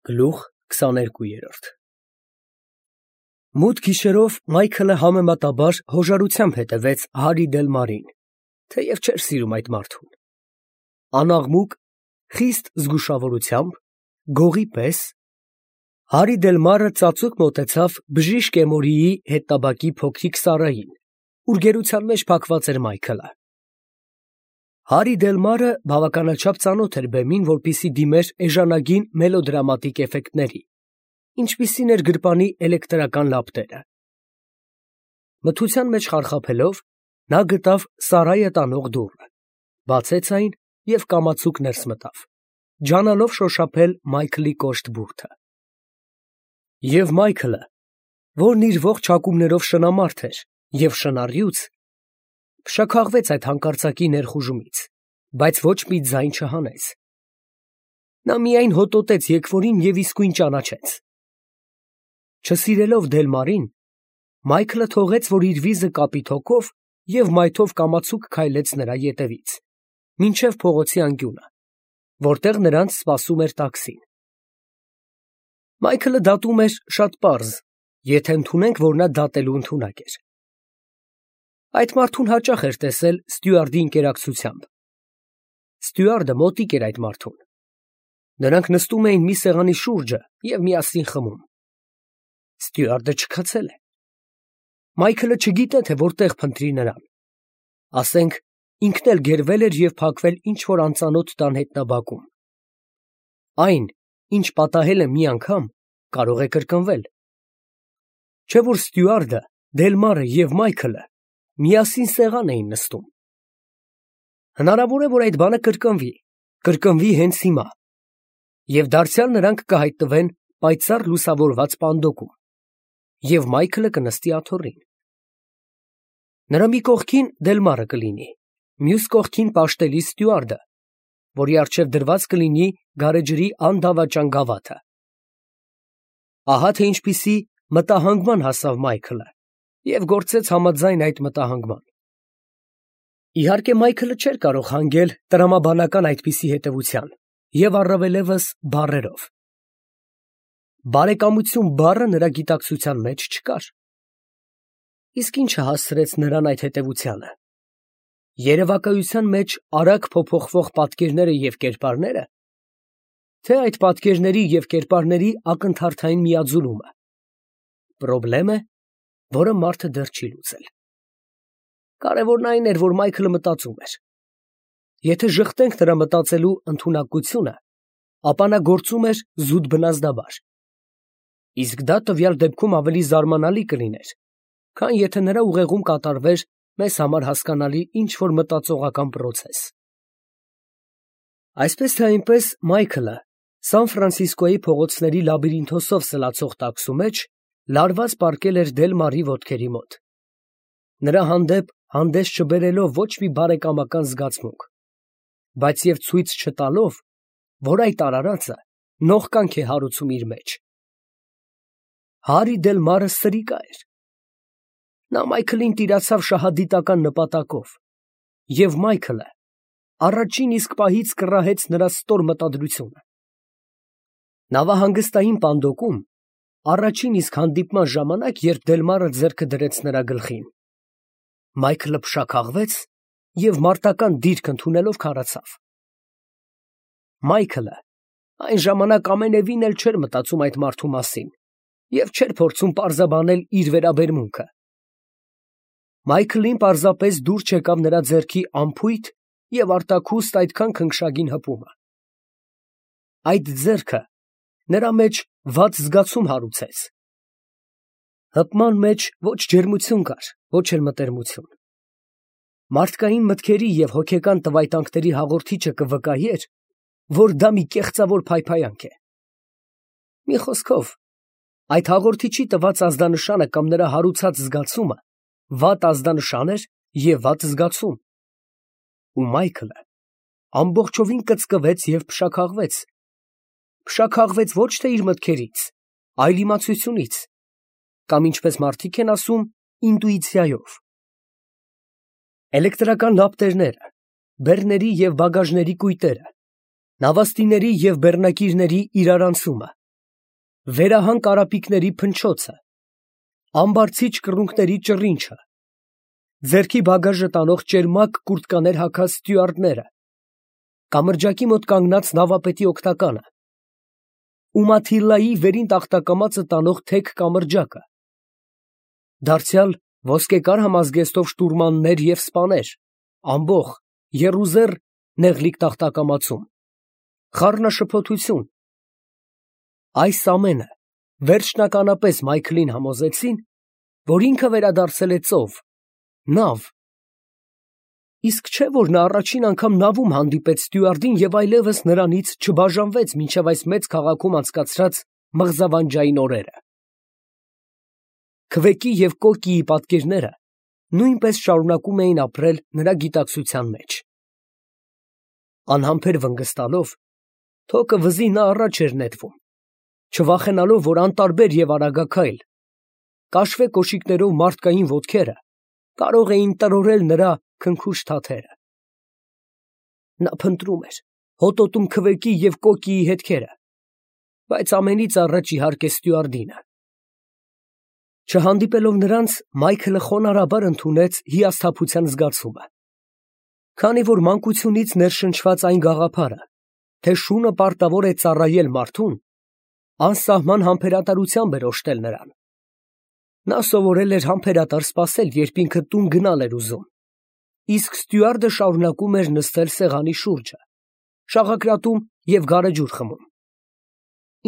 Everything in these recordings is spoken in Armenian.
Գլուխ 22 Մութ գիշերով Մայքլը համեմատաբար հոժարությամբ հետևեց Հարի Դելմարին, թեև չէր սիրում այդ մարդուն։ Անաղմուկ, խիստ զգուշավորությամբ, գողի պես, Հարի Դելմարը ծածուկ մոտեցավ բժիշկ Էմորիի հետնաբակի փոքրիկ Սարային, ուր գերության մեջ փակված էր Մայքլը։ Հարի Դելմարը բավականաչափ ծանոթ էր բեմին, որպեսզի դիմեր էժանագին մելոդրամատիկ էֆեկտների, ինչպիսին էր գրպանի էլեկտրական լապտերը։ Մթության մեջ խարխափելով, նա գտավ Սարայը տանող դուռը, բացեց այն և կամացուկ ներս մտավ, ջանալով շոշափել Մայքլի կոշտ բուրդը։ Եվ Մայքլը, որն իր ողջ հակումներով շնամարդ էր և շնառյուծ, փշաքաղվեց այդ հանկարծակի ներխուժումից, բայց ոչ մի ձայն չհանեց։ Նա միայն հոտոտեց եկվորին և իսկույն ճանաչեց։ Չսիրելով Դելմարին, Մայքլը թողեց, որ իր վիզը կապի թոկով և մայթով կամացուկ քայլեց նրա ետևից, մինչև փողոցի անկյունը, որտեղ նրանց սպասում էր տաքսին։ Մայքլը դատում էր շատ պարզ, եթե ընդունենք, որ նա դատելու ընդունակ էր։ Այդ մարդուն հաճախ էր տեսել ստյուարդի ընկերակցությամբ։ Ստյուարդը մոտիկ էր այդ մարդուն։ Նրանք նստում էին մի սեղանի շուրջը և միասին խմում։ Ստյուարդը չքացել է։ Մայքլը չգիտե, թե որտեղ փնտրի նրան։ Ասենք, ինքն էլ գերվել էր և փակվել ինչ֊որ անծանոթ տան հետնաբակում։ Այն, ինչ պատահել է մի անգամ, կարող է կրկնվել։ Չէ՞ որ ստյուարդը, Դելմարը և Մայքլը միասին սեղան էին նստում։ Հնարավոր է, որ այդ բանը կրկնվի հենց հիմա, և դարձյալ նրանք կհայտնվեն պայծառ լուսավորված պանդոկում, և Մայքլը կնստի աթոռին։ Նրա մի կողքին Դելմարը կլինի, մյուս կողքին պաշտելի ստյուարդը, որի առջև դրված կլինի գարեջրի անդավաճան գավաթը։ Ահա թե ինչպիսի մտահանգման հասավ Մայքլը և գործեց համաձայն այդ մտահանգման։ Իհարկե, Մայքլը չէր կարող հանգել տրամաբանական այդպիսի հետևության և առավելևս բառերով։ Բարեկամություն բառը նրա գիտակցության մեջ չկար։ Իսկ ի՞նչը հասցրեց նրան այդ հետևությանը։ Երևակայության մեջ արագ փոփոխվող պատկերները և կերպարները, թե այդ պատկերների և կերպարների ակնթարթային միաձուլումը։ Պրոբլեմ է, որը մարդը դեռ չի լուծել։ Կարևորն այն էր, որ Մայքլը մտածում էր։ Եթե ժխտենք նրա մտածելու ընդունակությունը, ապա նա գործում էր զուտ բնազդաբար։ Իսկ դա տվյալ դեպքում ավելի զարմանալի կլիներ, քան եթե նրա ուղեղում կատարվեր մեզ համար հասկանալի ինչ֊որ մտածողական պրոցես։ Այսպես թե այնպես, Մայքլը Սան Ֆրանցիսկոյի փողոցների լաբիրինթոսով սլացող տաքսու մեջ լարված պառկել էր Դելմարի ոտքերի մոտ, նրա հանդեպ հանդես չբերելով ոչ մի բարեկամական զգացմունք, բայց և ցույց չտալով, որ այդ արարածը նողկանք է հարուցում իր մեջ։ Հարի Դելմարը սրիկա էր։ Նա Մայքլին տիրացավ շահադիտական նպատակով, և Մայքլը առաջին իսկ պահից կռահեց նրա ստոր մտադրությունը։ Նավահանգստային պանդոկում, առաջին իսկ հանդիպման ժամանակ, երբ Դելմարը ձեռքը դրեց նրա գլխին, Մայքլը փշաքաղվեց և մարտական դիրք ընդունելով քարացավ։ Մայքլը այն ժամանակ ամենևին էլ չէր մտածում այդ մարդու մասին և չէր փորձում պարզաբանել իր վերաբերմունքը։ Մայքլին պարզապես դուր չեկավ նրա ձեռքի անփույթ և արտաքուստ այդքան քնքշագին հպումը։ Այդ ձեռքը նրա մեջ վատ զգացում հարուցեց։ Հպման մեջ ոչ ջերմություն կար, ոչ էլ մտերմություն։ Մարդկային մտքերի և հոգեկան տվայտանքների հաղորդիչը կվկայեր, որ դա մի կեղծավոր փայփայանք է։ Մի խոսքով, այդ հաղորդիչի տված ազդանշանը կամ նրա հարուցած զգացումը վատ ազդանշան էր և վատ զգացում։ Ու Մայքլը ամբողջովին կծկվեց և փշաքաղվեց։ Փշաքաղվեց ոչ թե իր մտքերից, այլ իմացությունից, կամ ինչպես մարդիկ են ասում, ինտուիցիայով։ Էլեկտրական լապտերները, բեռների և բագաժների կույտերը, նավաստիների և բեռնակիրների իրարանցումը, վերահան կարապիկների փնչոցը, ամբարձիչ կռունկների ճռինչը, ձերքի բագաժը տանող ճերմակ կուրտկաներ հագած ստյուարդները, կամրջակի մոտ կանգնած նավապետի օգնականը, Ումաթիլլայի վերին տախտակամածը տանող թեք կամրջակը, դարձյալ ոսկեկար համազգեստով շտուրմաններ և սպաներ, ամբոխ, եռուզեռ նեղլիկ տախտակամածում, խառնաշփոթություն, այս ամենը վերջնականապես Մայքլին համոզեցին, որ ինքը վերադարձել է ծով, նավ, իսկ չէ, որ նա առաջին անգամ նավում հանդիպեց ստյուարդին և այլևս նրանից չբաժանվեց մինչև այս մեծ քաղաքում անցկացրած մղզավանջային օրերը։ Քվեկի և կոկիի պատկերները նույնպես շարունակում էին ապրել նրա գիտակցության մեջ։ Անհամբեր վնգստալով, թոկը վզի նա առաջ էր նետվում, չվախենալով, որ անտարբեր և արագաքայլ, կաշվե կոշիկներով մարդկային ոտքերը կարող էին տրորել նրա քնքուշ թաթերը։ Նա փնտրում էր, հոտոտում քվեկի և կոկիի հետքերը, բայց ամենից առաջ իհարկե ստյուարդինը։ Չհանդիպելով նրանց, Մայքլը խոնարհաբար ընդունեց հիասթափության զգացումը, քանի որ մանկությունից ներշնչված այն գաղափարը, թե շունը պարտավոր է ծառայել մարդուն, անսահման համբերատարությամբ էր օժտել նրան։ Նա սովորել էր համբերատար սպասել, երբ ինքը տուն գնալ էր ուզում, իսկ ստյուարդը շարունակում էր նստել սեղանի շուրջը, շաղակրատում և գարեջուր խմում։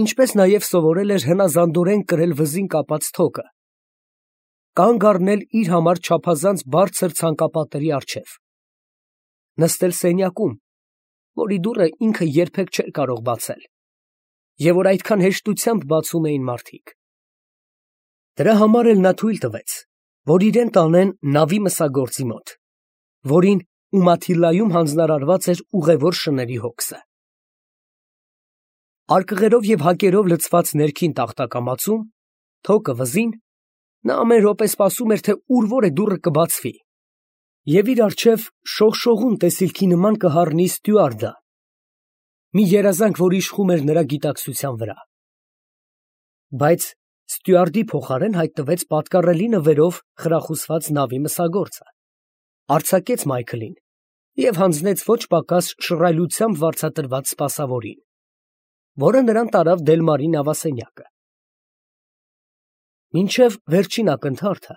Ինչպես նաև սովորել էր հնազանդորեն կրել վզին կապած թոկը, կանգ առնել իր համար չափազանց բարձր ցանկապատերի առջև, նստել սենյակում, որի դուռը ինքը երբեք չէր կարող բացել, և որ այդքան հեշտությամբ բացում էին մարդիկ։ Դրա համար էլ նա թույլ տվեց, որ իրեն տանեն նավի մսագործի մոտ, որին Ումաթիլլայում հանձնարարված էր ուղևոր շների հոգսը։ Արկղերով և հակերով լցված ներքին տախտակամածում, թոկը վզին, նա ամեն րոպե սպասում էր, թե ուր որ է դուռը կբացվի, և իր առջև շողշողուն տեսիլքի նման կհառնի ստյուարդը, մի երազանք, որ իշխում էր նրա գիտակցության վրա։ Բայց ստյուարդի փոխարեն հայտնվեց պատկառելի նվերով խրախուսված նավի մսագործը, արձակեց Մայքլին և հանձնեց ոչ պակաս շռայլությամբ վարձատրված սպասավորին, որը նրան տարավ Դելմարի նավասենյակը։ Մինչև վերջին ակնթարթը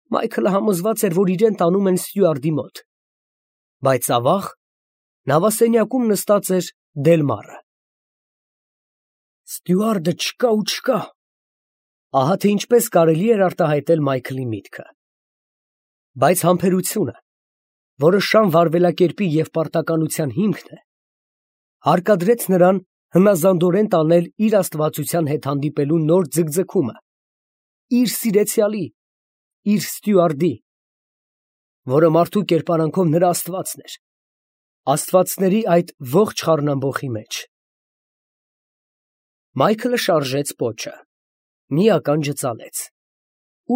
Մայքլը համոզված էր, որ իրեն տանում են ստյուարդի մոտ, բայց ավաղ նավասենյակում նստած էր Դելմարը։ Ստյուարդը չկա ու չկա։ Ահա թե ինչպես կարելի էր արտահայտել Մայքլի միտքը։ Բայց համբերությունը, որը շան վարվելակերպի և պարտականության հիմքն է, հարկադրեց նրան հնազանդորեն տանել իր աստվածության հետ հանդիպելու նոր ձգձգումը, իր սիրեցյալի, իր ստյուարդի, որը մարդու կերպարանքով նրա աստվածն էր, աստվածների այդ ողջ խառնամբոխի մեջ։ Մայքլը շարժեց պոչը, մի ականջը ծալեց,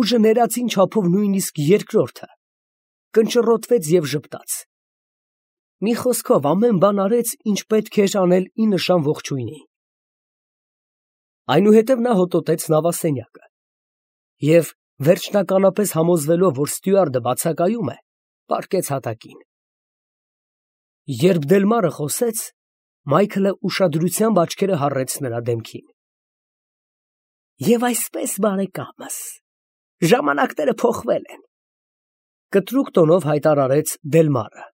ուժը ներածին չափով նույնիսկ երկրորդը, կնճռոտվեց և ժպտաց։ Մի խոսքով ամեն բան արեց, ինչ պետք էր անել ի նշան ողջույնի։ Այնուհետև նա հոտոտեց նավասենյակը և, վերջնականապես համոզվելով, որ ստյուարդը բացակայում է, պառկեց հատակին։ Երբ Դելմարը խոսեց, Մայքլը ուշադրությամբ աչքերը հառեց նրա դեմքին։ Եվ այսպես, բարեկամս, ժամանակները փոխվել են, կտրուկ տոնով հայտարարեց Դելմարը։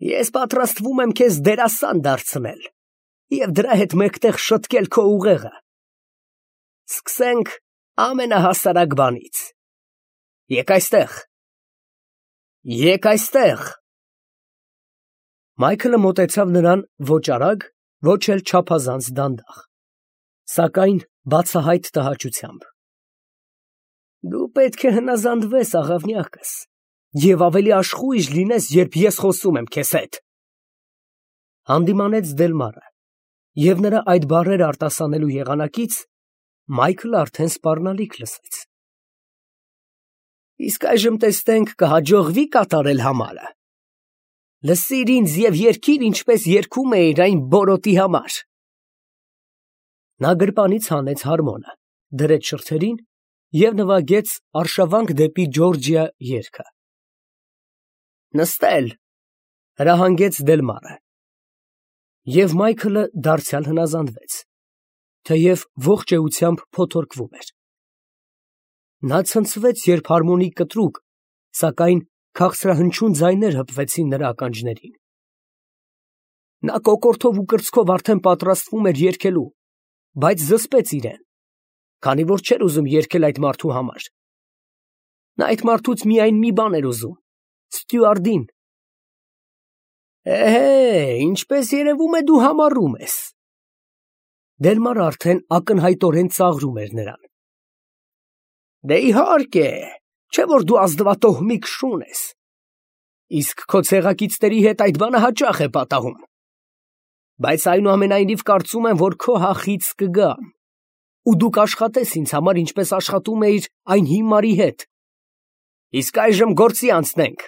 Ես պատրաստվում եմ քեզ դերասան դարձնել և դրա հետ մեկտեղ շտկել քո ուղեղը։ Սկսենք ամենահասարակ բանից։ Եկ այստեղ։ Եկ այստեղ։ Մայքլը մոտեցավ նրան ոչ արագ, ոչ էլ չափազանց դանդաղ, սակայն բացահայտ տհաճությամբ։ Դու պետք է հնազանդվես, աղավնյակս, և ավելի աշխույժ լինես, երբ ես խոսում եմ քեզ հետ, հանդիմանեց Դելմարը, և նրա այդ բառերը արտասանելու եղանակից Մայքլը արդեն սպառնալիք լսեց։ Իսկ այժմ տեսնենք կհաջողվի՞ կատարել համարը։ Լսիր ինձ և երգիր, ինչպես երգում էիր այն բորոտի համար։ Նա գրպանից հանեց հարմոնը, դրեց շրթերին և նվագեց «Արշավանք դեպի Ջորջիա» երգը։ «Նստել», հրահանգեց Դելմարը։ Եվ Մայքլը դարձյալ հնազանդվեց, թեև ողջ էությամբ փոթորկվում էր։ Նա ցնցվեց, երբ հարմոնի կտրուկ, սակայն քաղցրահնչյուն ձայներ հպվեցին նրա ականջներին։ Նա կոկորդով ու կրծքով արդեն պատրաստվում էր երգելու, բայց զսպեց իրեն, քանի որ չէր ուզում երգել այդ մարդու համար։ Նա այդ մարդուց միայն մի բան էր ուզում՝ Ստյուարտին։ Ինչպես երևում է, դու համառում ես։ Դելմարը արդեն ակնհայտորեն ծաղրում էր նրան։ Դե իհարկե, չէ որ դու ազնվատոհմիկ շուն ես։ Իսկ քո ցեղակիցների հետ այդ բանը հաճախ է պատահում։ Բայց այնուամենայնիվ կարծում եմ, որ քո հախից կգամ, ու դու կաշխատես ինձ համար, ինչպես աշխատում էիր այն հիմարի հետ։ Իսկ այժմ գործի անցնենք։